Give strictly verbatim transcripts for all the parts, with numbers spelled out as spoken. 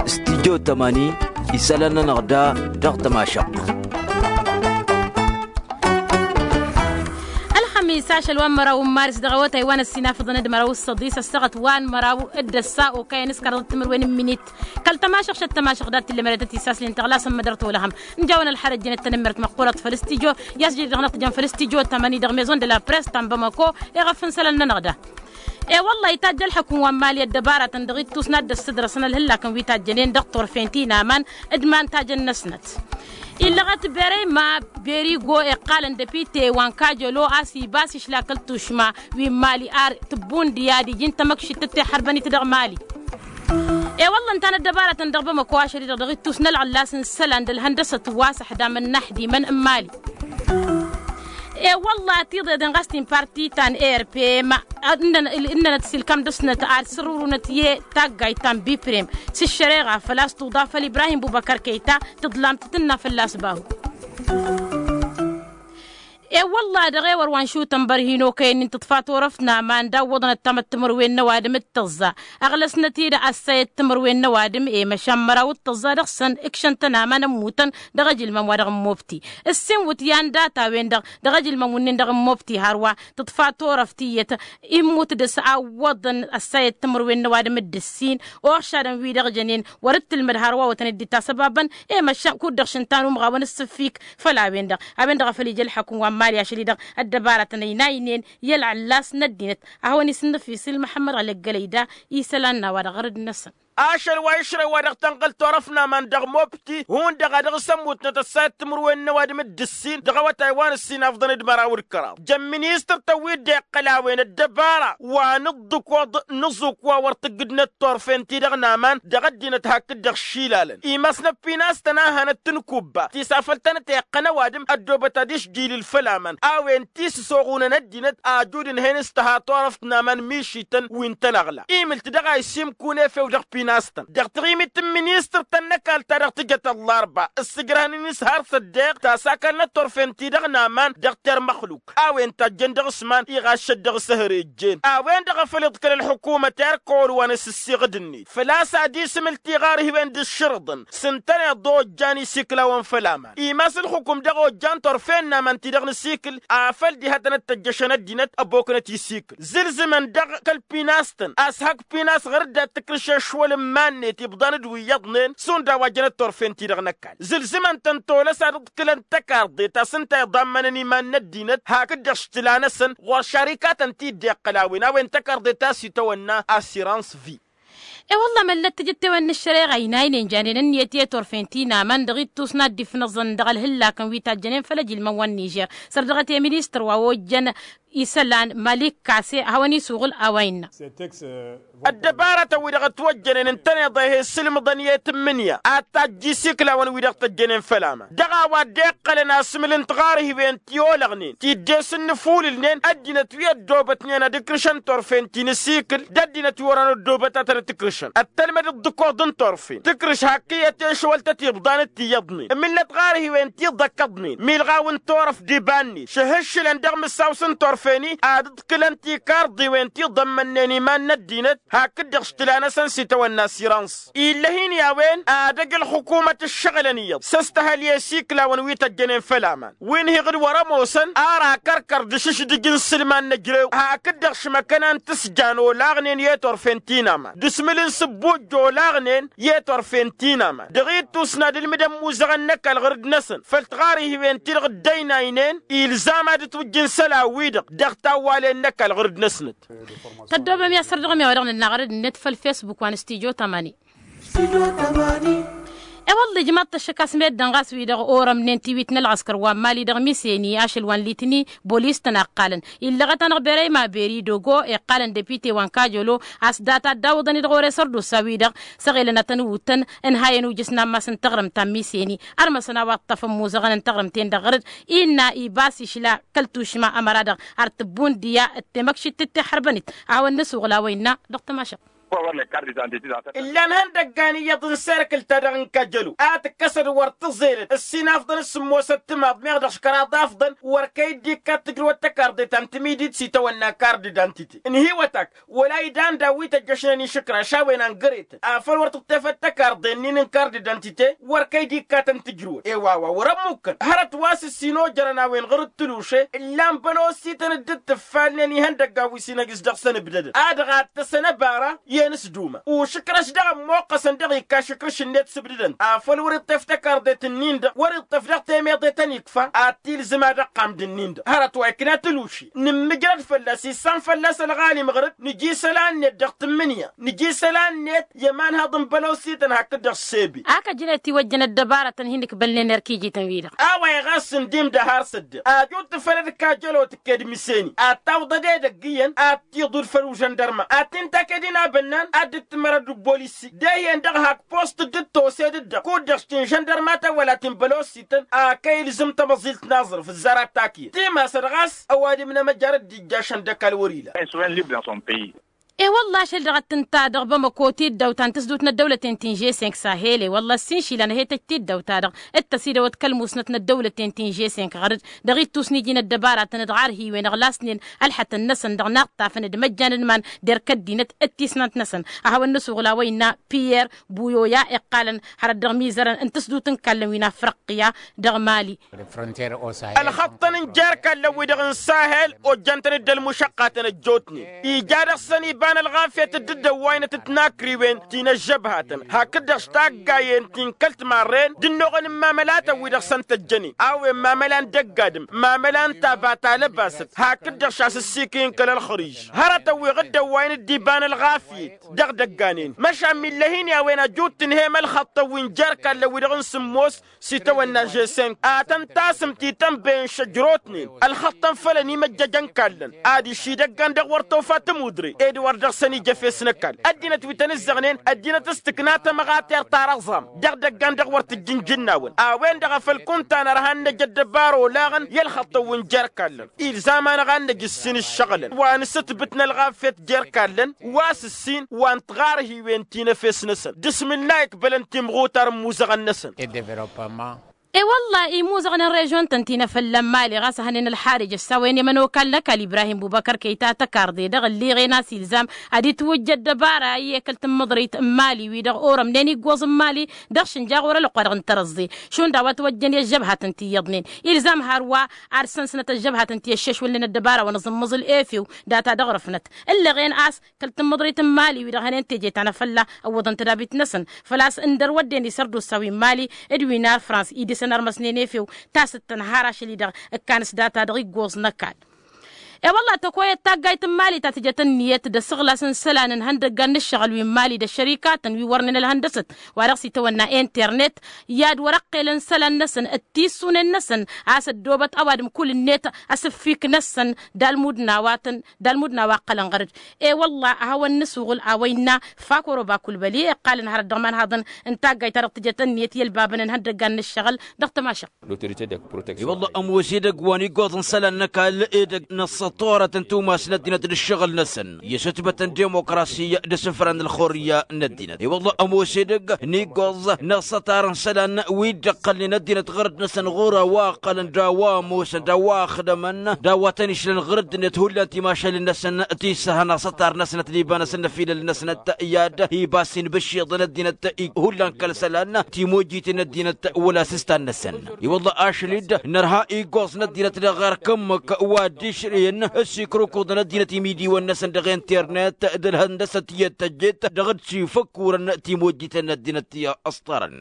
Stidyo tămani isălan-nănăɣ da dăɣ-tămašăɣt. Ălxămis ašăl wa n-măraw n-maris dăɣ-awătay wa n-ăssinafăḍăn d-măraw s-săḍis ăssăɣăt wa n-măraw d-ăssa okăyăn s-kăraḍăt timǝrwen n-minit. Kăl-tămašăɣt šăt tămašăɣt dat-tǝllămădătăt isaslin tăɣlasăn mădăr tolăhăm n-jawăn ălxarăt jănet tănămmert măqqurăt făll-stidyo. I-asjăj dăɣ-năɣ tǝjăn făll-stidyo tămani dăɣ-maison de la press ta n-bamako. Iɣăf n-isălan-nănăɣ da. E-wălla-hi tajj ălxăkun wa n-mali ăddăbarătăn dăɣ-ittus n-ad-dd-ăssădrăsăn ălhǝllakăn wi tajjănen dăɣ-turfen ti n-aman d-iman tajăn-năsnăt. Illăɣăt berey ma berigo iqqalăn depite wa n-kajălo a-s ibas išla kăl-tušma wi n-mali ar tǝbbund i-ad-iji n-tamăkšit tǝttexărbănit dăɣ-mali. E-wălla ǝnta n-ăddăbarătăn dăɣ-bamăko ašăl-i-dăɣ dăɣ-ittus n-ălɣăllas n-isălan d-ălhăndăsăt wa s-ăḥdamăn n-aḥdimăn n-mali. E-wălla tiḍeḍen ɣas ti n-parti ta n-erpem ǝnnănăt s-ilkam dăɣ-snăt ad-sărrurunăt i-taggayt ta n-biprem s-ǝššăreɣa făl-a-s tuḍa făll-ibrahim bubăkăr kăyta tǝḍlamt tǝnna fălla-s bahu. E-wălla dăɣ-ewăr wa n-šutăn bărhin okăyăn-in tǝḍfa turăft n-aman d-awwăḍnăt tamăt timǝrwen n-ăwadǝm d-tăẓẓa. Ăɣlăsnăt-dd ăssayăt timǝrwen n-ăwadǝm i-măšan măraw d-tăẓẓa dăɣ-săn ǝkšăn-tăn aman ămmutăn dăɣ-ajǝlmăm wa dăɣ-n mobti. Ǝssin wǝtyan data-wen-dăɣ dăɣ-ajǝlmăm wǝnnin dăɣ-n mobti hărwa tǝḍfa turăft iyyăt. Immut dăɣ-s awwăḍăn ăssayăt timǝrwen n-ăwadǝm d-ǝssin oɣšadăn wi-dăɣ jănen wăr-dd-tǝlmăd hărwa wătăn dd-itasăbabăn. I-măšan kud-dăɣ šǝnta n-umɣawăn ǝssǝffik făll-a-wen-dăɣ a-wen-dăɣ a făl ija ălxăkun wa n-mali ašăl-i-dăɣ ăddăbarătăn ăynaynen i-ălɣăllas n-ăddinăt. A hawăn-isǝnnǝfis ǝlmăḥămmăd ɣăleggălăy da isălan n-a-wa-dăɣ ɣărăd-năsăn. Ašăl wa išrăy wa dăɣ-tănɣǝl turăft n-aman dăɣ-mobti hundăɣ a dăɣ-s ămmutnăt ăssayăt timǝrwen n-ăwadǝm d-ǝssin dăɣ-awătay wa n-ǝssin afḍăn d-măraw d-kăraḍ jăn ministăr-tăn wi dd-iqqăl a-wen ăddăbara wa n-ǝḍḍǝkoḍ n-aẓuk wa wăr tǝggǝdnăt turfen-ti-dăɣ n-aman dăɣ-ăddinăt hakd-dăɣ išilalăn imasnăt pinastăn a hanăt-tǝnkubba tisafăl-tăn-ăteqqăn ăwadǝm ăddoobăt ad-išjilǝl făll-aman a-wen ti s-ăsoɣunăn ăddinăt ajud ǝnhăyăn s-tăha turăft n-aman mišităn wi n-tanăɣla imǝlt dăɣ-a isimkun efew dăɣ-pinastăn dăɣ-taɣimit n-ministăr-tăn n-ăkall ta dăɣ-tǝjăt ăllarba ǝssǝjrăhăn inǝshar s-ăddeɣ ta s-akălnăt turfen-ti-dăɣ n-aman dăɣ-termăxluk a-wen tajjăn dăɣ-s iman iɣaššăt dăɣ-s ehăr ejjen a-wen-dăɣ a făl iḍkăl ălḥukumăt erk ăwăl wa n-asǝssiɣǝd-net făl-a-s ad-isǝmǝl tiɣarhiwen d-ǝššărǝḍăn s-ǝntăneḍ ojjan isikǝlawăn făll-aman imas ǝlxǝkum dăɣ-ojjan turfen n-aman-ti-dăɣ n-asikǝl afăl diha tănăt-tăjjăšăn ăddinăt ăboknăt isikǝl zǝlzǝmăn-dăɣ kăl-pinastăn a-s hak pinas ɣur-dd ad-tǝkrǝš ešwăl n-iman-net ibḍan d-wi iyyăḍnen šund a-wa jănăt turfen-ti-dăɣ n-ăkall zǝlzǝmăn-tăn tolăs ad-ǝḍkǝlăn tăkarḍe ta s-ǝnta iḍammănăn iman n-ăddinăt hakd-dăɣ s-tǝla-năsăn ɣur-šarikatăn ti dd-iqqăl a-wen a-wen tăkarḍe ta s-itawănna asirans vi. E-wălla măllăt tijǝttewen n-ăššăreɣa inaynen janen ǝnniyăt i-turfen ti n-aman dăɣ-ittus n-ad-dd-ifnăẓăn dăɣ-ălhǝllakăn wi tajjănen făll-ejǝlmăn wa n-nižer săr dăɣ-t i-ministăr wa ojjăn isălan malik kase a hawăn-isuɣǝl a-wa innă. Ăddăbarătăn-wi-dăɣ ătwăjjănen ǝntăneḍ a he-ǝssǝlmǝḍăn i-tǝmmǝnǝya ad-tajj isikǝlawăn-wi-dăɣ tăjjănen făll-aman dăɣ-a-wa dd-iqqălăn asǝmǝl n-tiɣarhiwen ti olăɣnen ti dd-e-s ǝnnǝfulǝlnen ăddinăt wi ăddoobătnen ad-ǝkrǝšăn turfen ti n-asikǝl d-ăddinăt wi wărăn ăddoobăt a tăn-ǝtǝkrǝšăn ăttălmăd ǝḍḍǝkoḍ n-turfen tǝkrǝš hak iyyăt ešwăl-tăt ibḍan d-tiyyăḍnen ǝmǝlnăt ɣarhiwen ti ḍăkkăḍnen milɣaw n-turăft d-iba-net šăhǝššǝlăn dăɣ-imǝssaw s-ǝnturfen-i ad-ǝḍkǝlăn tikarḍiwen ti ḍămmănnen iman n-ăddinăt hakd-dăɣ s-tǝla-năsăn s-itawănna asirans ill'-ăhin i-a-wen ad-ăj ălxukumăt ǝššăɣǝlăn iyyăḍ s-ăstăhăl i-isikǝlawăn wi tăjjănen făll-aman wi n-hiɣ d-wăr-ămoosăn ar akăr-kăr d-ašǝšdǝj n-isǝlman n-ejrew hakd-dăɣ šmăkăna n-tǝsjan olaɣnen i-turfen ti n-aman d-asǝmǝl n-sǝbbujj olaɣnen i-turfen ti n-aman dăɣ-ittus n-ad-ǝlmǝdăn imuzăɣăn n-ăkall ɣur-dd-năsăn făll-tiɣarhiwen-ti-dăɣ dd-ăynaynen ilzam ad-ǝtwǝjj n-isălan-wi-dăɣ dăɣ-tawwalen n-ăkall ɣur-dd-năsnăt. Tăddoobăm i-ad-săr dăɣ-mi a-wa dăɣ-nǝnna ɣărăd-net făll-fesbuk wa n-studyo tămani. E-wălla ijmaḍ-t ăššăk a-s meddǝn ɣas wi-dăɣ orămnen tiwit n-ălɣăskăr wa n-mali dăɣ-miseni ašăl wa n-litni bolis-tăn a ǝqqalăn illăɣăt-anăɣ berey ma beri dogo iqqalăn depite wa n-kajolo a-s data dd-awǝḍăn-i dăɣ-ore sărdusa-wi-dăɣ săɣelăn ad-tăn-ǝwwǝtăn ǝnhayăn ujǝs n-ammas n-taɣrǝmt ta n-miseni ărmăsăn a-wa ǝṭṭăfăn imuzăɣăn n-taɣrǝmt-en-dăɣ ɣărăd innă ibas išla kăl-tušma ămăra-dăɣ ar tǝbbun d-iyyă d-temăkšit d-tihărbănit a hawăn-nǝsuɣǝl a-wa innă dăɣ-tămašăɣt. Ǝllan ihăndăggan iyyăḍ n-serkǝl-ta-dăɣ n-kăjălo a tǝkkăsăd wăr tǝẓelăd ǝssin afḍăn s-sǝmmosăt timaḍ meɣ dăɣ-s kăraḍ afḍăn wăr kăy-dd-ikkat tǝjrǝwăt tăkarḍe ta n-timidit s-itawănna kard d-antite ǝnhǝywăt-ak wăla idan daw-wi tăjjăšnen išǝkraš a-wen ăngăretăn afăl wăr tǝṭṭefăt tăkarḍe-nin n-kard d-antite wăr kăy-dd-ikkatăn tǝjrǝwăt i-wa-wa wăr-ămmukkăn hărăt wa s-ǝssin ojărăn a-wen ɣur-ǝttǝluše ǝllan bănosităn dd-tǝffalnen ihăndăggan wi s-inăjj s-dăɣ-săn ǝbdădăn a dăɣ-ad-tăsăn ăbara i-inǝsduma ušǝkrăš daɣ ămmoqqăsăn dăɣ-ikka ašǝkrǝš-net s-ǝbdădăn afăl wăr-iṭṭef tăkarḍet-ǝnnin-dăɣ wăr-iṭṭef dăɣ-temeḍe tăn-ikfa ad-t-ilzǝm ad-ăqqam d-ǝnnin-dăɣ hărăt wa ikna tǝluši nǝmmǝjrăd fălla-s issan fălla-s ălɣalim ɣăr-dd nǝj'-isălan-net dăɣ-tǝmmǝnǝya nǝj'-isălan-net i-ămanhăḍ n-bălosităn hakd-dăɣ s-sebe. Ak ăjnet iwăjjăn ăddăbaratăn hin-ǝkbălnen erk ijităn-wi-dăɣ. A-wa iɣas ǝndim d-ăhar s-ăddiɣ ajut făll-ădkajălo tǝkked miseni ad-tawḍăd edăgg iyyăn ad-tiḍud făll-užăndărma ad-t-in-taked inabănnan ad-dd-tǝmărăd d-bolisi d-ehiyăn dăɣ-hak post dd-tosed-dd-dăɣ kud-dăɣ s-ti n-žăndărmatăn wăla ti n-bălosităn a kăy-ilzǝm tamăẓilt n-aẓrǝf ǝzzar ad-takǝyăd timasăd ɣas ăwadǝm n-emăjar dd-ijjašăn d-ăkall wăr-ila. E-wălla ašăl dăɣ-ăttǝnta dăɣ-bamăko tiddawt ta n-tǝsdut n-ăddăwlăten ti n-žesink sahel e-wălla ăssiinšilăn ăhetăjt tiddawt-ta-dăɣ d-tăsidăwăt kăl-musnăt n-ăddăwlăten ti n-žesink ɣăr-dd dăɣ-ittus n-iji n-ăddăbaratăn d-ɣarhiwen ăɣlasnen ălxătăn-năsăn dăɣ-inaṭṭafăn d-imăjjan n-iman d-erk ăddinăt d-tisnant-năsăn a hawăn-nǝsuɣǝl a-wa innă piyer buyoya iqqalăn hărăt dăɣ-imizărăn n-tǝsdut n-ikallăn wi n-afriqqiya dăɣ-mali. Ălxăṭṭăn n-jer-ikallăn wi-dăɣ n-sahel ojjan-tăn-dd ălmušăqqatăn ăjjootnen ija dăɣ-săn iba n-ălɣafyăt dd-ăwwaynăt d-tinakriwen ti n-ăžžăbhatăn hakd-dăɣ s-taggayen ti n-kăl-timarren d-ǝnnuɣăn n-imamălatăn wi-dăɣ săn tăjjănen a-wen mamăla n-dăgg-adǝm mamăla n-taba ta lăbasăt hakd-dăɣ šasǝssikǝy n-kăl-ălxăriž hărătăn wi ɣǝddăwwayăn dd-iba n-ălɣafyăt dăɣ-idăgganen măšan millăhin i-a-wen ajut tǝnhăyăm ălxăṭṭăn wi n-jer-ikallăn wi-dăɣ n-sǝmmos s-itawănna žessenk ad-tăn-tasǝm titănbăyăn šăjrotnen ălxăṭṭăn făll-ănimăjjăjăn ikallăn adiš idăggan dăɣ-wăr tofa tămudre ed wăr dăɣ-săn ija efes n-ăkall ăddinăt wi tăn-ǝzzăɣnen ăddinăt s-tǝkna tamăɣatert ta răẓam dăɣ-idăggan dăɣ-wăr tǝjj n-ijǝnnawăn a-wen-dăɣ a făl kunta nărha n-năj ăddăbara olaɣăn i-ălxăṭṭăn wi n-jer-ikallăn ilzam-anăɣ ad-năj ǝssin ǝššăɣǝlăn wa n-asǝtbǝt n-ălɣafyăt jer-ikallăn wa s-ǝssin wa n-tiɣarhiwen ti n-efes-năsăn d-asmǝlla ikbălăn timɣutar n-imuzăɣăn-năsăn. E-wălla-i imuzăɣăn n-režion-tăn ti n-efălla n-mali ɣas a hănen ălxarij ăssawăyăn i-ămănokal n-ăkall ibrahim bubăkăr kăyta tăkarḍe dăɣ-ălliɣen a-s ilzam ad-itwǝjj ăddăbara i-ekăl tǝmmǝḍrăyt n-mali wi-dăɣ orămnen iggoẓ n-mali dăɣ-šǝnja ɣur-ălwăqq wa dăɣ-n tărăẓẓe šund a-wa t-wăjjăn i-ăžžăbhatăn ti iyyăḍnen ilzam hărwa ad-sănsnăt ăžžăbhatăn ti ăššešwălnen ăddăbara wa n-aẓǝmmǝẓǝl efew data dăɣ-răfnăt ǝllăɣen a-s kăl-tǝmmǝḍrăyt n-mali wi-dăɣ hănen teje ta n-afălla ǝwwăḍăn tădabit-năsăn făl-a-s ǝndăr wădden isărdusa wi n-mali d-wi n-ar frans idǝsăn ărmăsnen efew tasǝttăn har ašăl-i-dăɣ ǝkkan s-data dăɣ-iggoẓ n-ăkall. E-wălla-hi tăkoyăt taggayt n-mali ta tǝjăt ǝnniyăt d-asǝɣlas n-isălan n-ihăndăggan n-ǝššăɣǝl wi n-mali d-ăššărikatăn wi wărnen ălhăndăsăt wa dăɣ-s itawănna internet i-ad-wăr-ăqqelăn isălan-năsăn d-tissunen-năsăn a-s ăddoobăt ăwadǝm kull-net asǝffik-năsăn d-almud n-a-wa tăn d-almud n-a-wa ǝqqălăn ɣăr-dd. E-wălla-hi a hawăn-nǝsuɣǝl a-wa innă fak oroba kulbăli iqqalăn hărăt dăɣ-imanhaḍăn n-taggayt-ta-dăɣ tǝjăt ǝnniyăt i-ălbabăn n-ihăndăggan n-ǝššăɣǝl dăɣ-tamašăɣt. E-wălla-hi ămoos edăgg wa n-iggoẓ n-isălan n-ăkall edăgg n-ăṣṣăṭorăt n-tumas n-ăddinăt d-ǝššăɣǝl-năsăn i-asǝtbăt n-dimokrasi d-asǝfra n-ălxurǝyya n-ăddinăt. E-wălla-hi ămoos edăgg n-iggoẓ n-ăṣṣătar n-isălan wi dd-ăqqălnen ăddinăt ɣur-dd-năsăn ɣur-a-wa ǝqqălăn d-a-wa ămoosăn d-a-wa ăxdămăn d-a-wa tăn-išlăn ɣur-dd-net hullan timašal-năsăn tisăhăn aṣăṭar-năsnăt d-iba-năsăn n-efilăl-năsnăt i-ad-iba s-inbǝššiḍăn ăddinăt hullan kăl-isălan timojjiten n-ăddinăt wăla s-ǝstan-năsăn. I-wălla-hi ašăl-dd nărha iggoẓ n-ăddinăt dăɣ-erk ǝmmǝk wa dd-išrǝyăn s-ikrǝkuḍăn ăddinăt imidiwăn-năsăn dăɣ-internet d-ălhăndăsăt i-ăttăjjet dăɣ-dd-sifăkkurăn timojjiten n-ăddinăt i-ăṣṭarăn.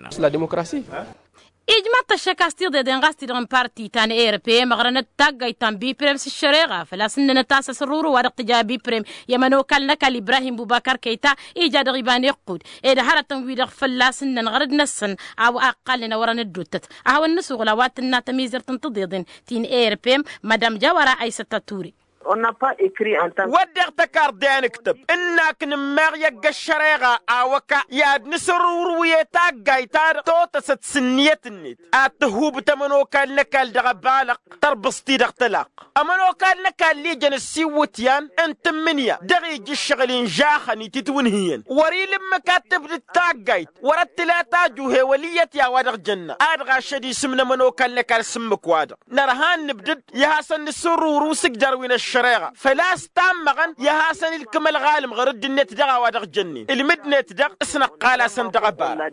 Ijmaḍ-t ăššăk a-s tiḍeḍen ɣas ti-dăɣ n-parti ta n-erpem ăɣrănăt taggayt ta n-biprem s-ǝššăreɣa făl-a-s ǝnnănăt a-s ăsruru wa dăɣ-tǝja biprem i-ămănokal n-ăkall ibrahim bubakar kăyta ija dăɣ-iba n-iqqud ed hărătăn-wi-dăɣ fălla-s ǝnnăn ɣăr-dd-năsăn a-wa ăqqalnen a wărăn ădduuttăt a hawăn-nǝsuɣǝl a-wa tǝnna tămizert n-tiḍeḍen ti n-erpem madam jawăra aysăt ăture. Wădden tăkarḍe a nǝktăb ǝnnak nǝmmeɣ i-ăgg-ăššăreɣa a-wa ka i-ad-nǝsǝrrǝwǝrwǝy i-taggayt-ta-dăɣ totăsăt s-ǝnniyăt-net ad-tǝhhubǝt ămănokal n-ăkall dăɣ-ăbalăɣ. Tărbǝẓt-i-dăɣ tălaqq ămănokal n-ăkall ijăn ǝssiwwǝtyan n-tǝmmǝnǝya dăɣ-iji ǝššăɣǝl inžaxăn itǝtwǝnhǝyăn wăr-ila ǝmmǝk ad-tǝbdǝd taggayt wăr-ăttǝla tajuhe wăl' iyyăt i-a-wa-dăɣ jănna. Ad-ɣašăd isǝm n-ămănokal n-ăkall s-ǝmmǝk-wa-dăɣ nărha ad-nǝbdǝd i-ad-hasăn-nǝsǝrrǝwrǝw s-ǝjjărăw-i n-ăššăreɣa făl-a-s tammăɣăn i-ad-hasăn-ilkǝm ălɣalǝm ɣur-dd-net dăɣ-a-wa dăɣ-jănnen ǝlmǝd-net-dăɣ s-năqqal-asăn dăɣ-ăbara.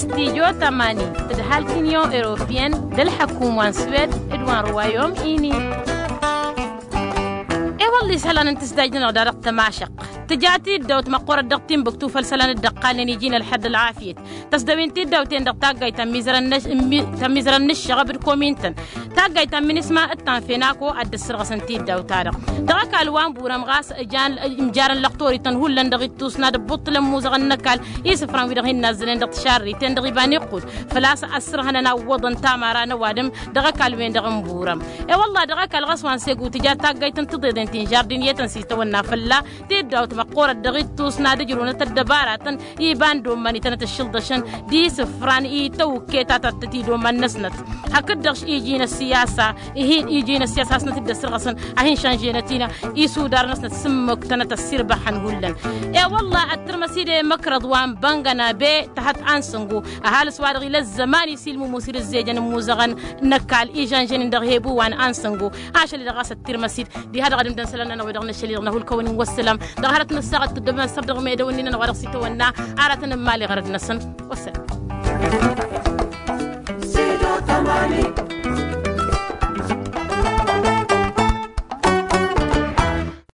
Studyo tămani tǝdhal tinion europiyăn d-ălḥăkum wa n-swed d-wa n-rwayom ini. I-wălla isălan n-tǝsdaj-nănăɣ da dăɣ-tămašăq tǝja tiddawt măqqoorăt dăɣ-tinbǝktu făll-isălan dd-ăqqalnen iji n-ălḥăḍ ălɣafyăt tăsdăwin tiddawten dăɣ-taggayt ta n-imizărăn n-ăššăɣăb d-komintăn. Taggayt ta n-minisma d-tanfenako ad-dd-ăssărɣăsăn tiddawt-ta-dăɣ dăɣ-ăkall wa n-burăm ɣas ǝjan imjarăn lăqtorităn hullan dăɣ-ittus n-ad-ǝbbuṭṭǝlăn imuzăɣăn n-ăkall isǝfran wi-dăɣ hin-nazzănen dăɣ-tišarriten dăɣ-iba n-iqqud făl-a-s ăssărhănăn a ǝwwăḍăn tamara n-ăwadǝm. Dăɣ-ăkall-wen-dăɣ n-burăm i-wălla dăɣ-ăkall ɣas wa n-segu tǝja taggayt n-tiḍeḍen ti n-žardiniyetăn s-itawănna fălla tiddawt măqqoorăt dăɣ-ittus n-ad-ǝjrǝwnăt ăddăbaratăn iba n-dd-oman itănăt ǝššǝlḍăšăn d-isǝfran itawǝkke ta tăttăt idoman-năsnăt. Hakd-dăɣ iji n-ăssiyasa ihin iji n-ăssiyasa hasnăt-dd-ăssărɣăsăn a hin-šanženăt-ină isudar-năsnăt s-ǝmmǝk tănăt ăssirbăxăn hullan. I-wălla ăttărmăs-dd i-măkrăḍ wa n-băngăna be tăhăt ansăngo ăhalǝs wa dăɣ-ila ăzzăman isilmǝmu s-dd-ǝzzejăn imuzăɣăn n-ăkall ižănžănen dăɣ-hebu wa n-ansăngo. Ašăl-i-dăɣ ɣas ăttărmăs-dd diha-dăɣ ad-ǝmdăn isălan-nănăɣ wi-dăɣ n-ašăl-i-dăɣ n-ahulkăwăn-in wăssălam. Dăɣ-hărăt n-ǝssaɣăt tǝddǝbăn ăssăbdăɣ medăwăn-in-nănăɣ wa dăɣ-s itawănna aratăn n-imali ɣărăd-năsăn. Wăssălam.